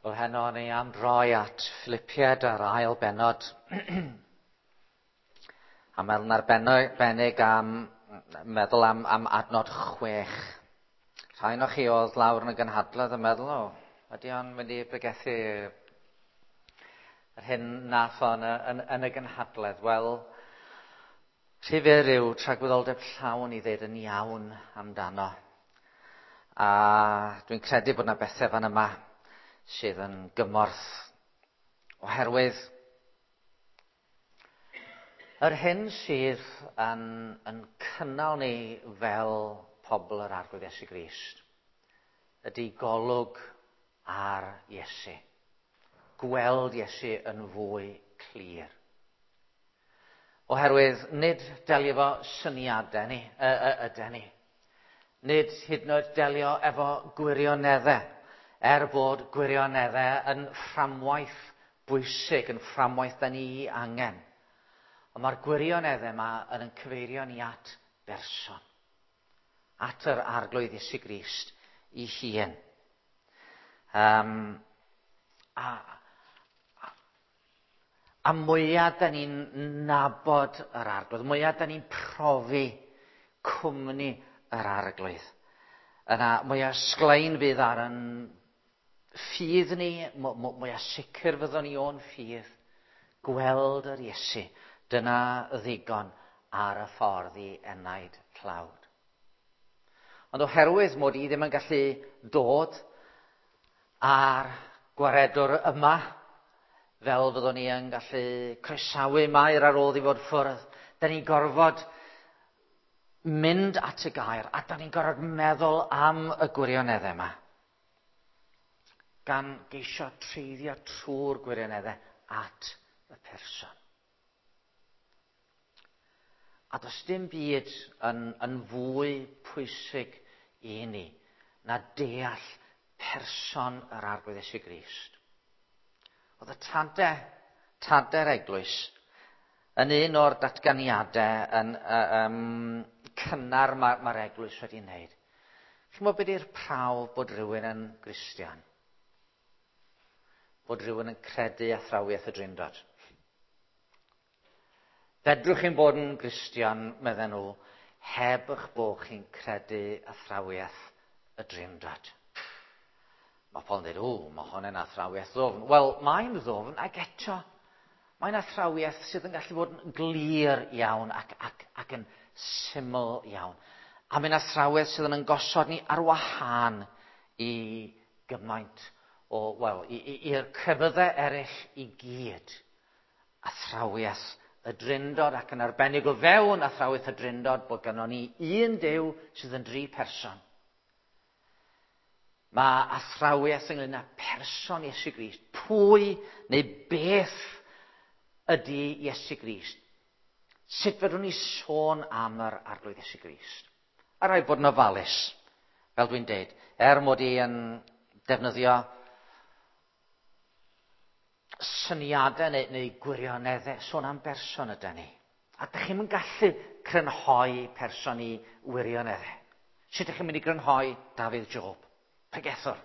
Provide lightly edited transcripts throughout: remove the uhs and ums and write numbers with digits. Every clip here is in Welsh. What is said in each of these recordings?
Wel, heno ni am droi at Philippiaid a'r ail bennod. A meddwl arbennig am meddwl am adnod 6. Rhai o'ch chi oedd lawr yn y gynhadledd yn meddwl, o, ydy o'n mynd i bregethu yr hyn nath o yn y gynhadledd? Wel, rhy fyr yw tragwyddoldeb llawn i ddeud yn iawn amdano. A dwi'n credu bod yna bethau fan yma sydd yn gymorth, oherwydd yr hyn sydd yn cynnal ni fel pobl yr Arglwydd Iesu Grist ydy golwg ar Iesu, gweld Iesu yn fwy clir. Oherwydd nid delio efo syniadau ni, ydy ni. Nid hyd yn oed delio efo gwirioneddau, er bod gwirioneddau yn fframwaith bwysig, yn fframwaith da ni angen. Ond mae'r gwirioneddau yma yn cyfeirio ni at berson, at yr Arglwydd Iesu Grist ei hun. A mwyaf da ni'n nabod yr Arglwydd, mwyaf da ni'n profi cwmni yr Arglwydd, yna mwyaf sglein fydd ar yn ffydd ni, mwyaf sicr fyddwn ni o'n ffydd, gweld yr Iesu, dyna ddigon ar y ffordd i enaid tlawd. Ond oherwydd mod i ddim yn gallu dod a'r gwaredwr yma, fel fyddwn ni yn gallu croesawu Mair ar ôl i fod ffwrdd, da ni'n gorfod mynd at y gair, a da ni'n gorfod meddwl am y gwirioneddau yma, gan geisio treiddio trwy'r gwirioneddau at y person. A does dim byd yn fwy pwysig i ni na deall person yr Arglwydd Iesu Grist. Oedd y tadau'r eglwys yn un o'r datganiadau yn cynnar mae'r eglwys wedi wneud. Chi'n gwybod beth yw'r prawf bod rhywun yn Gristion? Bod rhywun yn credu athrawiaeth y Drindod. Fedrwch chi'n bod yn Gristion, medden nhw, heb eich bod chi'n credu athrawiaeth y Drindod. Mae pobl yn dweud, o, mae hwn yn athrawiaeth ddwfn. Wel, mae'n ddwfn ac eto, mae'n athrawiaeth sydd yn gallu bod yn glir iawn ac yn syml iawn. A mae'n athrawiaeth sydd yn gosod ni ar wahân i gymaint o, wel, i'r crefyddau eraill i gyd. Athrawiaeth y Drindod, ac yn arbennig o fewn athrawiaeth y Drindod, bod gynnon ni un Duw sydd yn dri person. Mae athrawiaeth ynglyn â person Iesu Grist. Pwy neu beth ydy Iesu Grist? Sut fedrwn ni sôn am yr Arglwydd Iesu Grist? A rhaid bod yn ofalus, fel dwi'n deud, er mod i yn defnyddio syniadau neu gwirioneddau, sôn am berson ydy ni. A dych chi'm yn gallu crynhoi person i wirioneddau. Sut ydych chi'n mynd i grynhoi Dafydd Job? Pregethwr.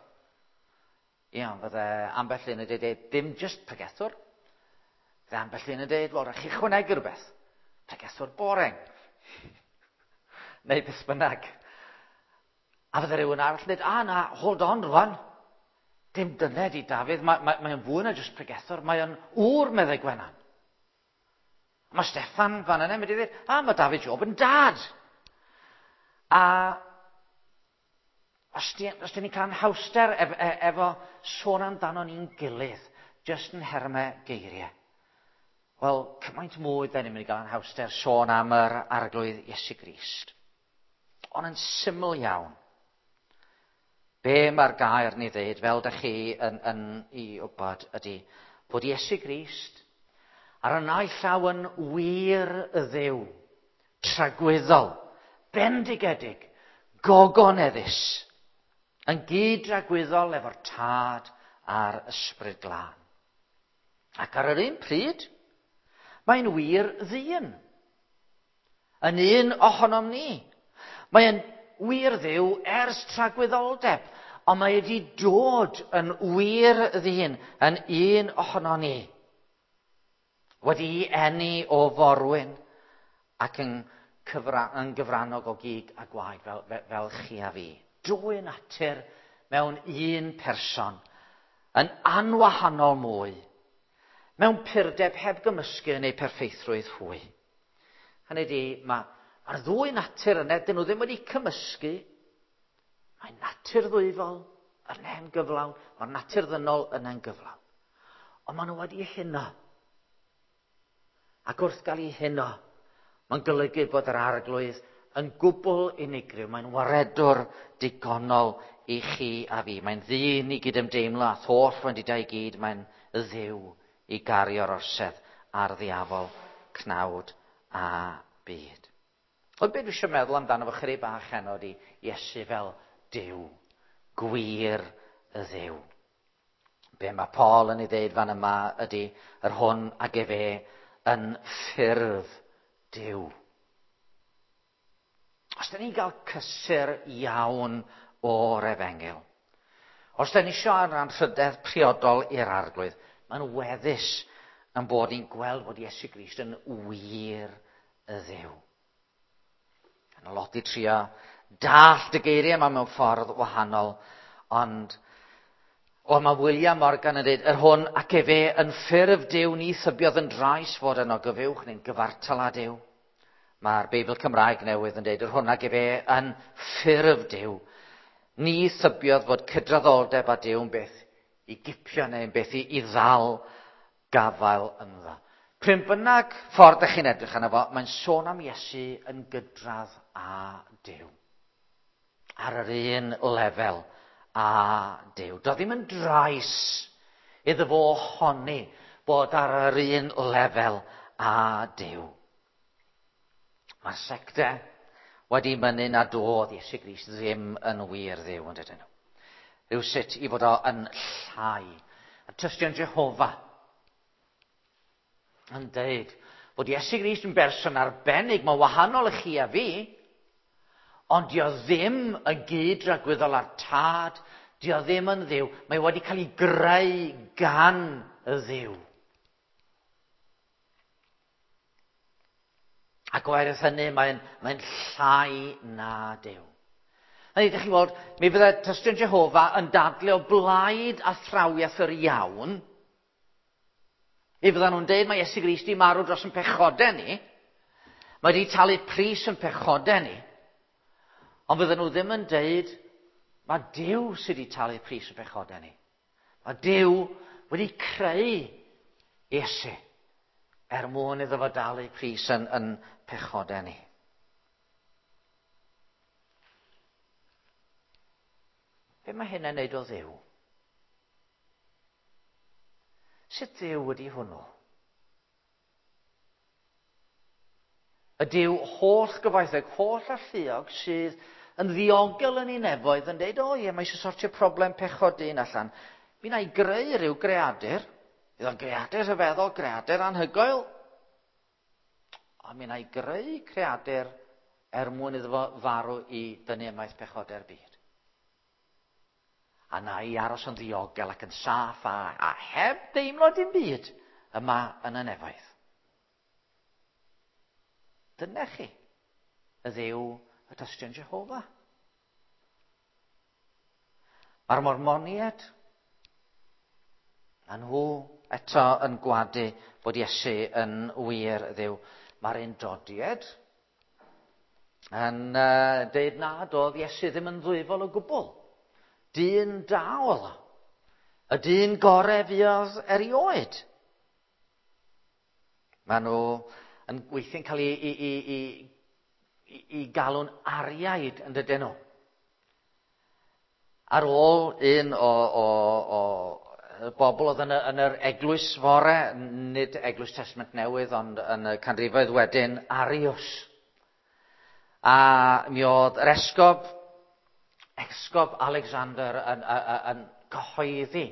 Iawn, fydde ambell un yn dweud, dim just pregethwr. Fydde ambell un yn dweud, wel, rhaid chi chwanegu rhywbeth. Pregethwr boring. Neu beth bynnag. A fydde rhywun arall yn dweud, a na, hold on rwan. Dim dyna di Dafydd, mae'n fwy na just pregethwr, mae'n ŵr, meddai Gwenan. Mae Steffan fan yna mynd i ddweud, a mae Dafydd Job yn dad. A os dyn ni'n cael anhawster efo sôn amdano ni'n gilydd, jyst yn nhermau geiriau, wel, cymaint mwy da ni'n mynd i gael anhawster sôn am yr Arglwydd Iesu Grist. Ond yn syml iawn, be mae'r gair ni ddeud, fel dych chi yn i wybod, ydy bod Iesu Grist ar y naill llaw yn wir y Dduw, tragwyddol, bendigedig, gogoneddus, yn gyd-dragwyddol efo'r Tad a'r Ysbryd Glân. Ac ar yr un pryd, mae'n wir ddyn, yn un ohonom ni. Mae'n wir Dduw ers tragwyddoldeb, Ond mae wedi dod yn wir ddyn, yn un ohono ni. Wedi'i eni o forwyn ac yn gyfrannog o gig a gwaed fel chi a fi. Dwy natur mewn un person, yn anwahanol mwy, mewn purdeb heb gymysgu yn eu perffeithrwydd hwy. Hynny ydi, mae'r ddwy natur yna, dyn nhw ddim wedi cymysgu. Mae natur ddwyfol yna'n gyflawn, mae'r natur ddynol yna'n gyflawn. Ond maen nhw wedi huno. Ac wrth gael eu huno, mae'n golygu bod yr Arglwydd yn gwbl unigryw. Mae'n waredwr digonol i chi a fi. Mae'n ddyn i gydymdeimlo a holl wendidau i gyd. Mae'n ddiw i gario'r orsedd ar ddiafol, cnawd a byd. Ond beth dwi eisiau meddwl amdano fo chydig bach heno ydi Iesu fel Duw, gwir y Dduw. Be mae Paul yn ei ddeud fan yma ydy yr hwn ag efe yn ffurf Duw. Os da ni'n cael cysur iawn o'r efengyl, os da ni eisiau anrhydedd priodol i'r Arglwydd, mae'n weddus yn bod ni'n gweld bod Iesu Grist yn wir y Dduw. Yn lot i trio dallt y geiriau yma mewn ffordd wahanol, ond mae William Morgan yn dweud, yr hwn ac efe yn ffurf Duw ni thybiodd yn drais fod yno gyfuwch neu'n gyfartal â Duw. Mae'r Beibl Cymraeg newydd yn dweud, yr hwn ac efe yn ffurf Duw ni thybiodd fod cydraddoldeb â Duw yn beth i gipio neu'n beth i ddal gafael ynddo. Pryn bynnag ffordd ydych chi'n edrych arno fo, mae'n sôn am Iesu yn gydradd â Duw. Ar yr un lefel â Duw. Doedd ddim yn drais iddo fo honni bod ar yr un lefel â Duw. Mae'r secte wedi mynnu nad oedd Iesu Grist ddim yn wir Dduw, yn dydyn nhw. Rhywsut i fod o yn llai. A tystion Jehofa yn deud bod Iesu Grist yn berson arbennig, mae'n wahanol i chi a fi, ond dio ddim yn gyd-dragwyddol â'r Tad, dio ddim yn Dduw, mae wedi cael ei greu gan y Dduw. Ac oherwydd hynny, mae'n llai na Duw. Hynny, ydych chi'n gweld, mi fydde tystion Jehofa yn dadlu o blaid athrawiaeth yr iawn. Mi fyddan nhw'n deud mae Iesu Grist 'di marw dros yn pechodau ni. Mae wedi talu pris yn pechodau ni. Ond fyddan nhw ddim yn deud mae Duw sydd wedi talu pris yn pechodau ni. Mae Duw wedi creu Iesu er mwyn iddo fo dalu pris yn pechodau ni. Be mae hynna'n neud o Dduw? Sut Dduw ydy hwnnw? Y Duw holl gyfoethog, holl alluog sydd yn ddiogel yn ei nefoedd yn deud, o ie, mae eisiau sortio problem pechod dyn allan. Mi wna i greu rhyw greadur. Bydd o'n greadur rhyfeddol, greadur anhygoel. Ond mi wna i greu creadur er mwyn iddo fo farw i dynnu ymaith pechodau'r byd. A na i aros yn ddiogel ac yn saff a heb deimlo dim byd yma yn y nefoedd. Dyna chi, y Dduw y tystion Jehofa. Mae'r Mormoniaid, a nhw eto yn gwadu bod Iesu yn wir Dduw. Mae'r Undodiaid yn deud nad oedd Iesu ddim yn ddwyfol o gwbl. Dyn da oedd o. Y dyn gorau fuodd erioed. Maen nhw yn weithiau'n cael ei galw'n ariaid yn dydyn nhw. Ar ôl un o bobl oedd yn yr eglwys fore, nid Eglwys Testament Newydd, ond yn y canrifoedd wedyn, Arius. A mi oedd yr esgob Alexander yn cyhoeddi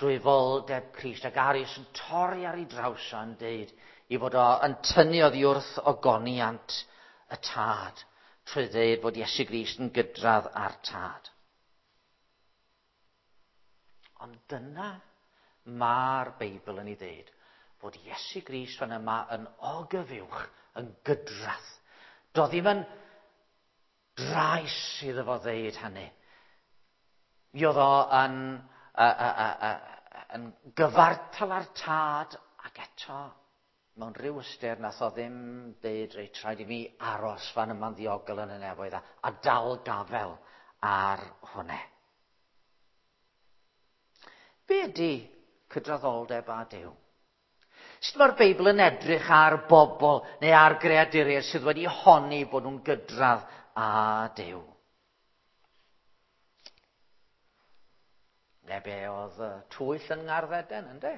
dwyfoldeb Crist, ac Arius yn torri ar ei draws yn deud i fod o yn tynnu oddi wrth ogoniant y Tad, trwy ddeud bod Iesu Grist yn gydradd â'r Tad. Ond dyna mae'r Beibl yn ei ddeud, fod Iesu Grist fan yma yn ogyfuwch, yn gydradd. Do ddim yn drais iddo fo ddeud hynny. Mi oedd o yn, yn gyfartal â'r Tad, ac eto, mewn rhyw ystyr, nath o ddim deud, reit, rhaid i mi aros fan yma'n ddiogel yn y nefoedd a dal gafel ar hwnne. Be ydy cydraddoldeb â Duw? Sut mae'r Beibl yn edrych ar bobl neu ar greaduriaid sydd wedi honni bod nhw'n gydradd â Duw? Ne be oedd y twyll yn Ngardd Eden, ynde?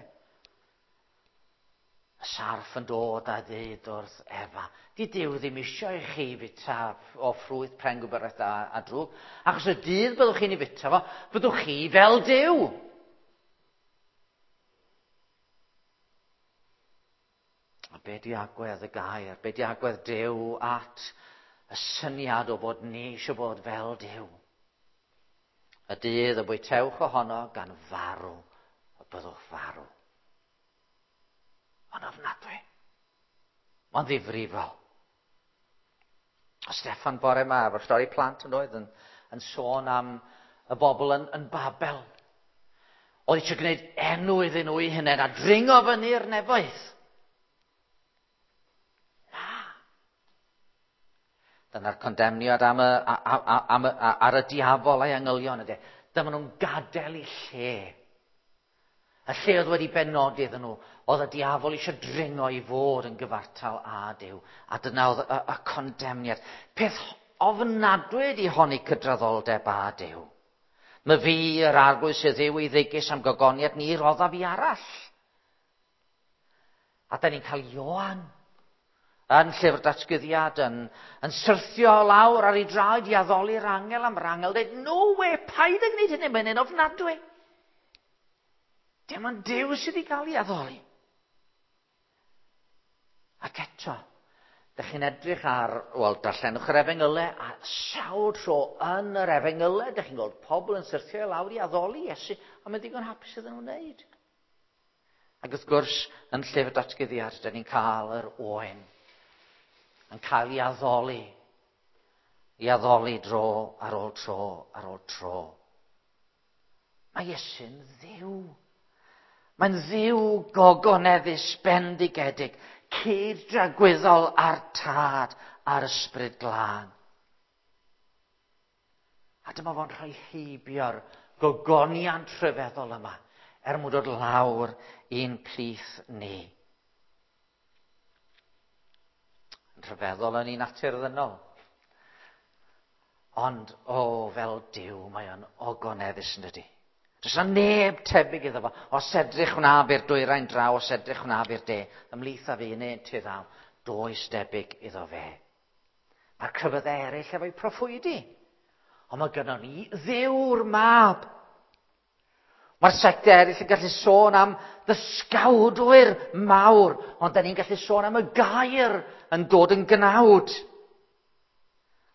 Y sarff yn dod a ddeud wrth Efa, di Duw ddim eisiau i chi fita o ffrwyth pren gwybodaeth da a drwg, achos y dydd byddwch chi'n ei fita fo, byddwch chi fel Duw. A be di agwedd y gair, be di agwedd Duw at y syniad o fod ni eisiau bod fel Duw? Y dydd y bwytewch ohono gan farw, y byddwch farw. Mae'n ofnadwy. Mae'n ddifrifol. O Steffan bore yma, efo'r stori plant yn oedd, yn sôn am y bobl yn Babel. Oedd eisiau gwneud enw iddyn nhw eu hunain a dringo fyny'r nefoedd. Na. Dyna'r condemniad ar y diafol a'i angylion ydy. Dyma nhw'n gadael eu lle. Y lle oedd wedi benodi iddyn nhw, oedd y diafol eisiau dringo i fod yn gyfartal â Duw. A dyna oedd y condemniad. Peth ofnadwy ydi honni cydraddoldeb â Duw. My fi, yr Arglwydd sydd Dduw i ddigus am gogoniad, ni roddaf i arall. A da ni'n cael Ioan yn llyfr datguddiad yn syrthio lawr ar ei draed i addoli'r angel am yr angel dweud, no way, paid â gwneud hynny, mae'n un ofnadwy. Dim ond Duw sydd i gael ei addoli. Ac eto, dych chi'n edrych ar, wel, darllenwch yr Efengylau, a sawl tro yn yr Efengylau, dych chi'n gweld pobl yn syrthio i lawr i addoli Iesu, a mae'n ddigon hapus iddyn nhw'n wneud. Ac wrth gwrs, yn llyfr datguddiad, dyn ni'n cael yr oen yn cael ei addoli, i addoli dro ar ôl tro ar ôl tro. Mae Iesu'n Dduw. Mae'n Dduw gogoneddus, bendigedig, cyd-dragwyddol â'r Tad a'r Ysbryd Glân. A dyma fo'n rhoi heibio'r gogoniant rhyfeddol yma er mwyn dod lawr i'n plith ni. Yn rhyfeddol yn ei natur ddynol. Ond, o, fel Duw, mae o'n ogoneddus yn dydi. Does yna neb tebyg iddo fo. Os edrych wnaf i'r dwyrain draw, os edrych wnaf i'r de, ymhlith a fi neu ti ddaw, does debyg iddo fe. Mae'r crefyddau eraill efo'u proffwydi. Ond mae gynnon ni Dduw'r Mab. Mae'r sectau eraill yn gallu sôn am ddysgawdwyr mawr, ond da ni'n gallu sôn am y gair yn dod yn gnawd.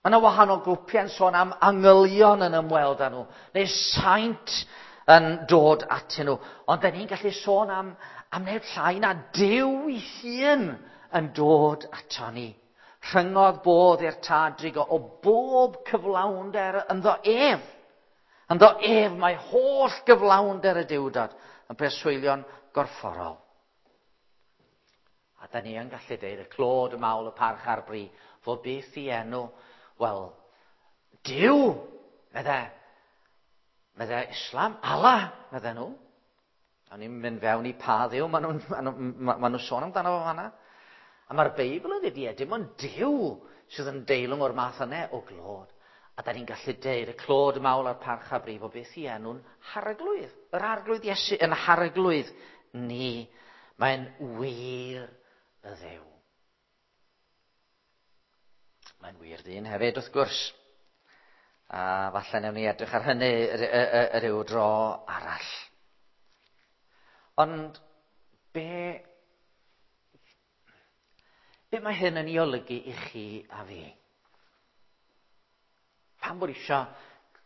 Mae yna wahanol grwpiau yn sôn am angylion yn ymweld â nhw, neu saint yn dod atyn nhw. Ond da ni'n gallu sôn am neb llai na Duw ei hun yn dod ato ni. Rhyngodd bodd i'r Tad drigo o bob cyflawnder ynddo ef. Ynddo ef mae holl gyflawnder y Duwdod yn preswylio'n gorfforol. A da ni yn gallu deud y clod, y mawl, y parch a'r bri, fod byth i enw, wel, Duw, medde Islam, Allah, medde nhw. A ni'n mynd fewn i pa dduw, ma nhw sôn amdano fo fanna. A mae'r Beibl yn dweud, ie, dim ond Duw sydd yn deilwng o'r math yna o glod. A da ni'n gallu deud y clod, y mawl a'r parch a brif o beth i enw'n harglwydd. Yr arglwydd Iesu yn harglwydd ni. Mae'n wir y Dduw. Mae'n wir ddyn hefyd, wrth gwrs. A falle newn ni edrych ar hynny ryw dro arall. Ond be mae hyn yn ei olygu i chi a fi? Pam bod eisiau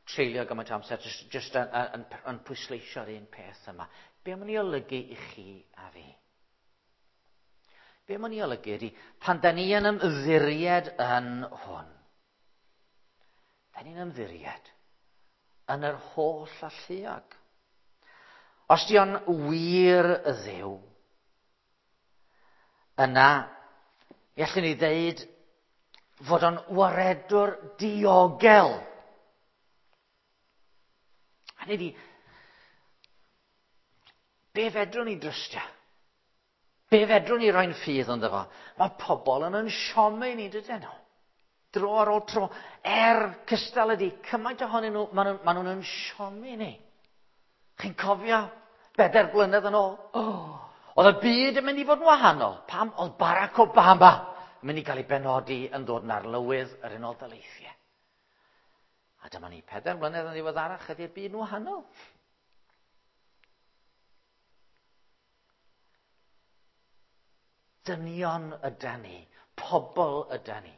treulio gymaint o amser jyst yn pwysleisio'r un peth yma. Be mae'n ei olygu i chi a fi? Be mae'n ei olygu ydy, pan da ni yn ymddiried yn hwn, da ni'n ymddiried yn yr holl alluog. Os di o'n wir y Dduw, yna, mi allwn ni ddeud fod o'n waredwr diogel. Hynny ydi, be fedrwn ni drystio? Be fedrwn ni roi'n ffydd ynddo fo? Mae pobl yn siomi ni, dydyn nhw? Dro ar ôl tro. Cystal ydi, cymaint ohonyn nhw, maen nhw'n siomi ni. Chi'n cofio 4 blynedd yn ôl? Oh, oedd y byd yn mynd i fod yn wahanol. Pam oedd Barack Obama yn mynd i gael ei benodi yn ddod yn arlywydd yr Unol Daleithiau? A dyma ni 4 mlynedd yn ddiweddarach, ydy'r byd yn wahanol. Dynion ydan ni, pobl ydan ni.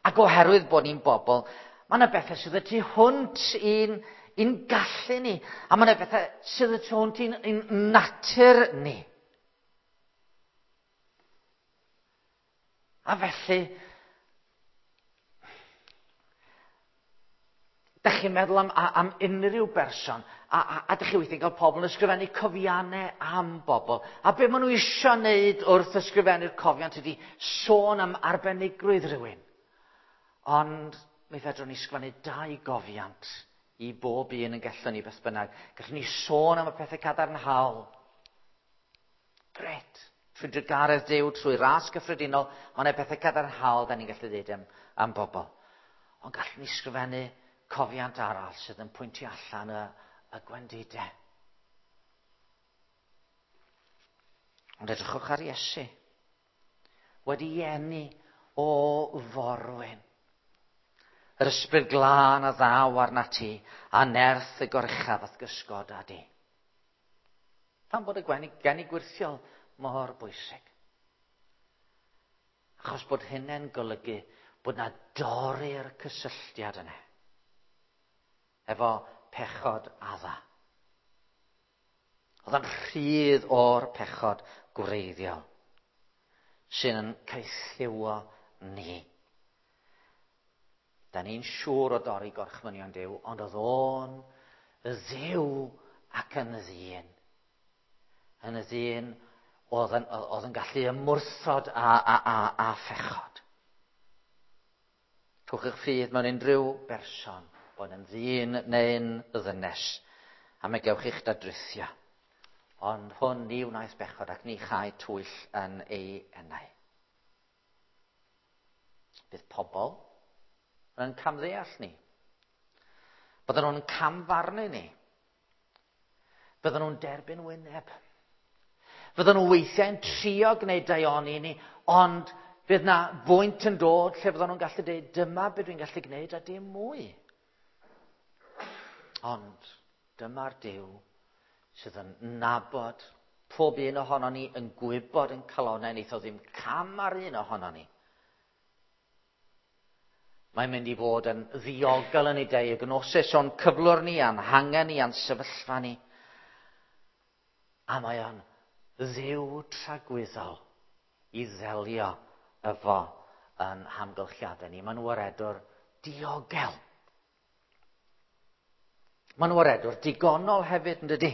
Ac oherwydd bod ni'n bobl, mae yna bethau sydd y tu hwnt i'n gallu ni. A mae yna bethau sydd y tu hwnt i'n natur ni. A felly, dych chi'n meddwl am unrhyw berson, a dych chi weithiau'n cael pobl yn ysgrifennu cofiannau am bobl. A be maen nhw eisiau wneud wrth ysgrifennu'r cofiant ydy sôn am arbenigrwydd rhywun. Ond mi fedrwn ni sgwennu 2 gofiant i bob un yn gallwn ni beth bynnag. Gallwn ni sôn am y pethau cadarnhaol. Gret. Trwy drugaredd Duw, trwy ras gyffredinol, mae yna bethau cadarnhaol da ni'n gallu dweud am bobl. Ond gallwn ni sgrifennu cofiant arall sydd yn pwyntio allan y gwendidau. Ond edrychwch ar Iesu. Wedi eni o forwyn. Yr ysbryd glân a ddaw arnat ti, a nerth y goruchaf ath gysgod â di. Pam bod y geni gwyrthiol mor bwysig? Achos bod hynny'n golygu bod na dorri'r cysylltiad yna efo pechod Adda. Oedd o'n rhydd o'r pechod gwreiddiol sy'n yn caethiwo ni. Da ni'n siŵr o dorri gorchmynion Duw, ond oedd o'n Dduw ac yn ddyn. Yn y ddyn oedd yn gallu ymwrthod a phechod. Rhowch eich ffydd mewn unrhyw berson, bod yn ddyn neu'n ddynes, a mae gewch eich dadrithio. Ond hwn ni wnaeth bechod ac ni chai twyll yn ei enau. Bydd pobl yn camddeall ni. Bydden nhw'n camfarnu ni. Bydden nhw'n derbyn wyneb. Fydden nhw weithiau'n trio gwneud daioni ni, ond fydd na bwynt yn dod lle fydden nhw'n gallu dweud, dyma beth dwi'n gallu gwneud a dim mwy. Ond dyma'r Duw sydd yn nabod pob un ohonon ni, yn gwybod yn calonnau, neith o ddim cam ar un ohonon ni. Mae'n mynd i fod yn ddiogel yn ei diagnosis o'n cyflwr ni, a'n hangen ni, a'n sefyllfa ni. A mae o'n Dduw tragwyddol i ddelio efo yn hamgylchiadau ni. Mae'n waredwr diogel. Mae'n waredwr digonol hefyd, yn dydi?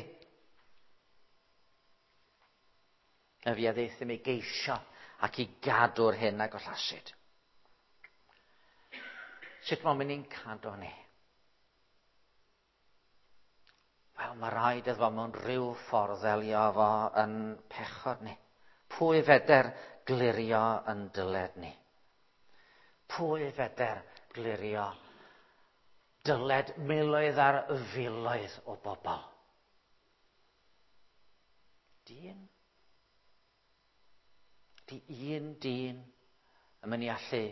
Y fi a ddeithum i geisio ac i gadw'r hyn a gollasid. Sut mae'n mynd i'n cadw ni? Wel, mae rhaid iddo fo mewn rhyw ffordd ddelio efo yn pechod ni. Pwy feder glirio yn dyled ni? Pwy feder glirio dyled miloedd ar filoedd o bobl? Dyn. Di un dyn yn mynd i allu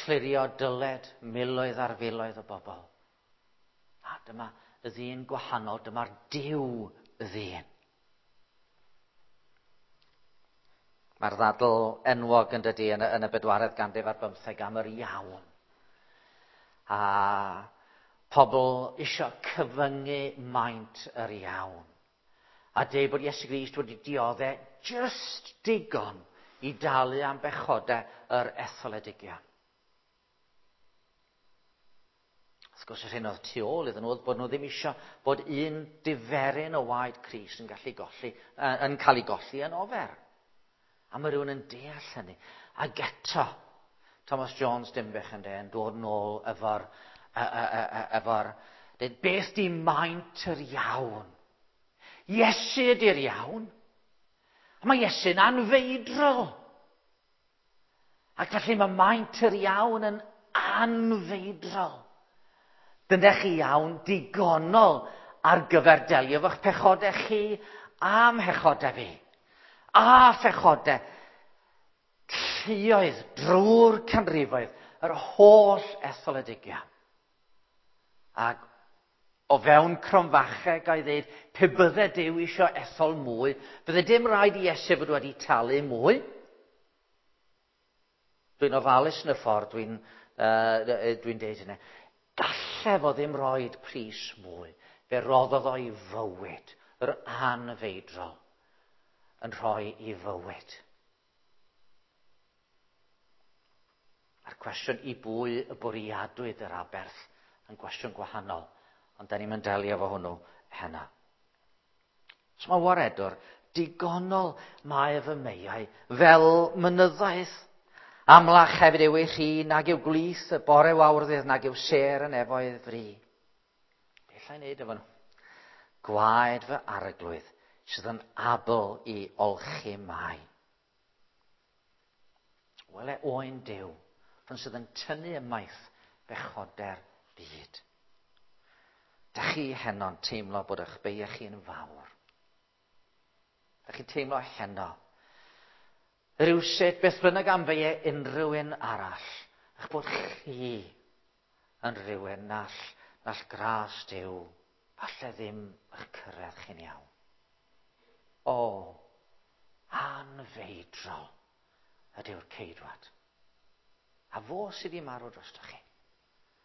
clirio dyled miloedd ar filoedd o bobl. A dyma y ddyn gwahanol, dyma'r Duw y ddyn. Mae'r ddadl enwog yn dydi yn y 15 ganrif am yr iawn. A Pobl isio cyfyngu maint yr iawn. A deud bod Iesu Grist wedi dioddau just digon i dalu am bechodau yr etholedigion. Wrth gwrs, yr hyn oedd tu ôl iddyn nhw oedd bod nhw ddim eisiau bod un diferyn o waed Crist yn gallu golli, yn cael ei golli yn ofer. A mae rhywun yn deall hynny. Ac eto, Thomas Jones Dimbych yn yn dod nôl efo'r efo'r dweud, beth di maint yr iawn? Iesu ydy'r iawn. A mae Iesu'n anfeidrol. Ac felly mae maint yr iawn yn anfeidrol. Dyna chi iawn digonol ar gyfer delio efo'ch pechodau chi am pechodau fi. A phechodau lluoedd drwy'r canrifoedd, yr holl etholedigion. Ac o fewn cromfachau gael ddeud, pe bydde Duw eisiau ethol mwy, bydde dim rhaid i Iesu fod wedi talu mwy. Dwi'n ofalus yn y ffordd dwi'n dwi deud hynny. Galle fo ddim roed pris mwy. Fe roddodd o'i fywyd, yr anfeidrol, yn rhoi i fywyd. A'r cwestiwn i bwy y bwriadwyd yr aberth yn gwestiwn gwahanol, ond da ni'n mynd delio efo hwnnw heno. So mae waredwr digonol mae fy meiau fel mynyddaeth. Amlach hefyd yw ei chi nag yw glith y bore wawrddydd nag yw sêr yn efoedd fri. Beth allai wneud efo nhw? Gwaed fy arglwydd sydd yn abl i olchi mai. Wele oen Duw, rhwng sydd yn tynnu ymaith bechoder byd. Da chi heno'n teimlo bod eich beiau chi'n fawr. Da chi'n teimlo heno. Rywsut, beth bynnag am feiau unrhyw un arall, eich bod chi yn rhywun nall, nall gras Duw, falle ddim eich cyrraedd chi'n iawn. O, anfeidrol ydyw'r ceidwad. A fo sydd wedi marw drostoch chi.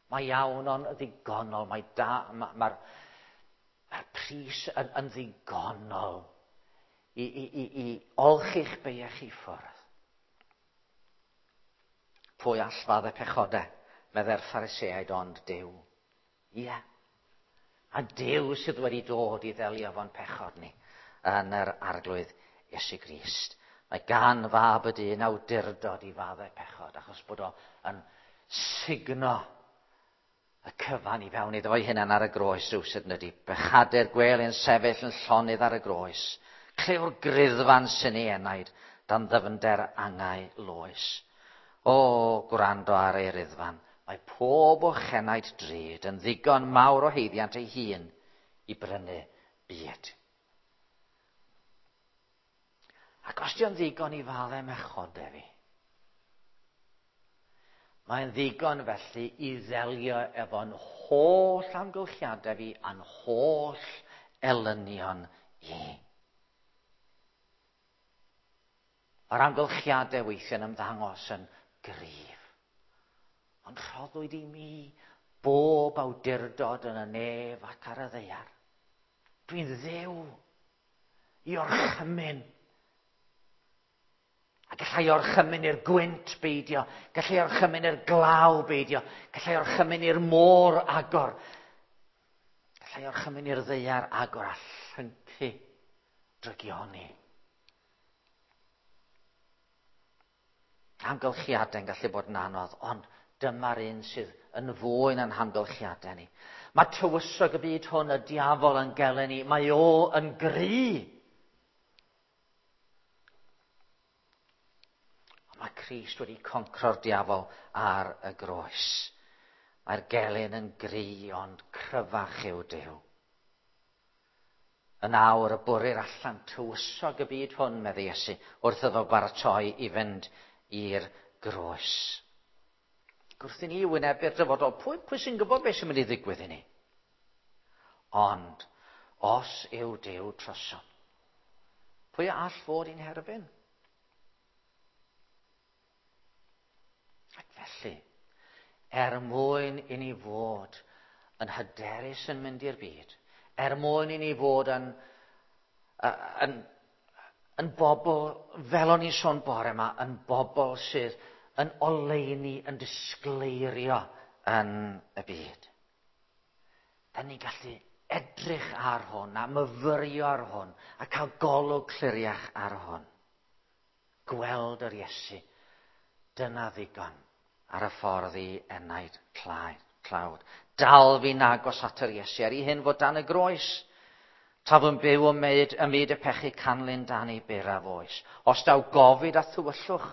Mae iawn ond ddigonol, mae da, mae'r ma, ma pris yn, yn ddigonol i, i, i, i olchi'ch beiau chi ffwrdd. Pwy all faddau pechodau, meddai'r Phariseaid, ond Duw. Ie. Yeah. A Duw sydd wedi dod i ddelio fo'n pechod ni yn yr arglwydd Iesu Grist. Mae gan fab y dyn awdurdod i faddau pechod, achos bod o yn sugno y cyfan i fewn iddo fo'i hunan ar y groes rhywsut yn ydy. Bechadur gwel yn sefyll yn llonydd ar y groes. Clyw'r griddfan sy'n ei enaid dan ddyfnder angau loes. O, gwrando ar ei riddfan, mae pob o chenaid drud yn ddigon mawr o haeddiant ei hun i brynu byd. Ac os di o'n ddigon i faddau mechodau fi, mae'n ddigon felly i ddelio efo'n holl amgylchiadau fi a'n holl elynion i. Mae'r amgylchiadau weithiau'n ymddangos yn gryf. Ond rhoddwyd i mi bob awdurdod yn y nef ac ar y ddaear. Dwi'n ddew i orchymyn. A gallai orchymyn i'r gwynt beidio, gallai orchymyn i'r glaw beidio, gallai orchymyn i'r môr agor, gallai orchymyn i'r ddaear agor a llyncu drygioni. Amgylchiadau'n gallu bod yn anodd, ond dyma'r un sydd yn fwy na'n hamgylchiadau ni. Mae tywysog y byd hwn, y diafol yn gelyn ni, mae o yn gry. Ond mae Crist wedi concro'r diafol ar y groes. Mae'r gelyn yn gry, ond cryfach yw Duw. Yn awr y bwrir allan tywysog y byd hwn, meddai Iesu, wrth iddo baratoi i fynd i'r groes. Gwrth i ni wynebu'r dyfodol, pwy, pwy sy'n gwybod beth sy'n mynd i ddigwydd i ni? Ond, os yw Duw trosom, pwy all fod i'n herbyn? Ac felly, er mwyn i ni fod yn hyderus yn mynd i'r byd, er mwyn i ni fod yn bobl, fel o'n i'n sôn bore yma, yn bobl sydd yn oleuni, yn disgleirio yn y byd. Da ni'n gallu edrych ar hwn a myfyrio ar hwn a cael golwg cliriach ar hwn. Gweld yr Iesu, dyna ddigon ar y ffordd i enaid tlawd. Dal fi'n agos at yr Iesu, er i hyn fod dan y groes. Taf yn byw ym myd y pechu canlyn dan ei beraf oes. Os daw gofid a thywyllwch,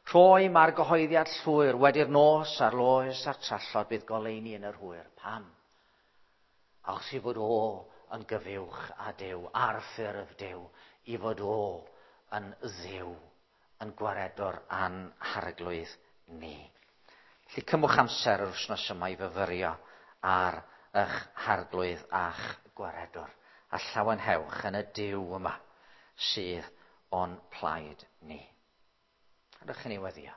rhoi mae'r gyhoeddiad llwyr, wedi'r nos a'r loes a'r trallod bydd goleuni yn yr hwyr. Pam? Achos i fod o yn gyfuwch a Duw, ar ffurf Duw, i fod o yn Dduw, yn gwaredwr a'n harglwydd ni. Felly cymwch amser yr wythnos yma i fyfyrio ar eich harglwydd a'ch gwaredwr, a llawenhewch yn y Duw yma sydd o'n plaid ni. Rydych chi'n ei weddio.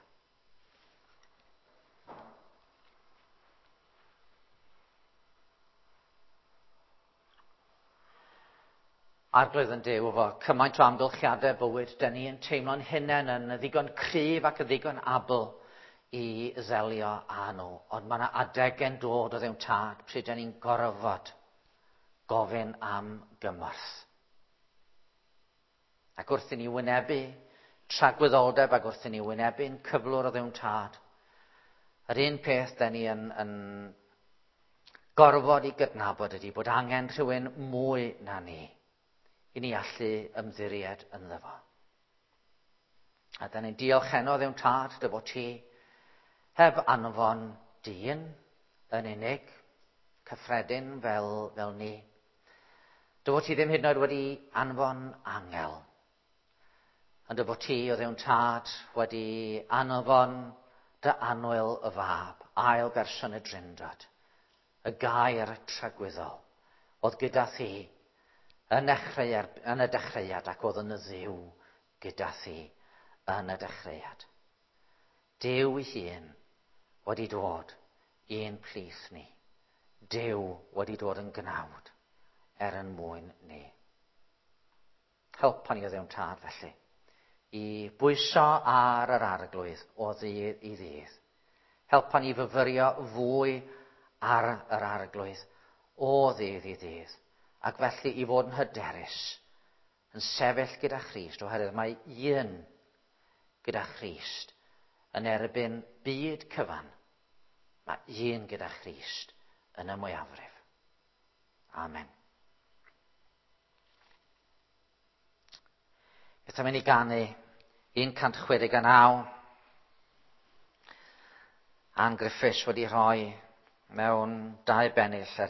Arglwydd yn Duw, efo cymaint o amgylchiadau bywyd, dyn ni yn teimlo'n hunain yn ddigon cryf ac yn ddigon abl i ddelio â nhw. Ond mae yna adegau'n dod o ddewn tad pryd dyn ni'n gorfod gofyn am gymorth. Ac wrth i ni wynebu tragwyddoldeb ac wrth i ni wynebu'n cyflwr o ddewn tad, yr un peth dyn ni yn gorfod i gydnabod ydy bod angen rhywun mwy na ni i ni allu ymddiried ynddo fo. A da ni'n diolch heno ddewn tad dy fod ti heb anfon dyn yn unig, cyffredin fel ni. Dy fod ti ddim hyd yn oed wedi anfon angel. Ond dy fod ti o ddewn tad wedi anfon dy annwyl y fab, ail berson y Drindod, y gair tragwyddol, oedd gyda thi yn y dechreuad ac oedd yn y Dduw gyda thi yn y dechreuad. Duw ei hun wedi dod i'n plith ni. Duw wedi dod yn gnawd er yn mwyn ni. Helpa ni o ddewn tad felly i bwyso ar yr arglwydd o ddydd i ddydd. Helpa ni fyfyrio fwy ar yr arglwydd o ddydd i ddydd. Ac felly i fod yn hyderus, yn sefyll gyda Christ, oherwydd mae un gyda Christ yn erbyn byd cyfan. Mae un gyda Christ yn y mwyafrif. Amen. Beth am i ni ganu 169. Ann Griffiths wedi rhoi mewn dau bennill ar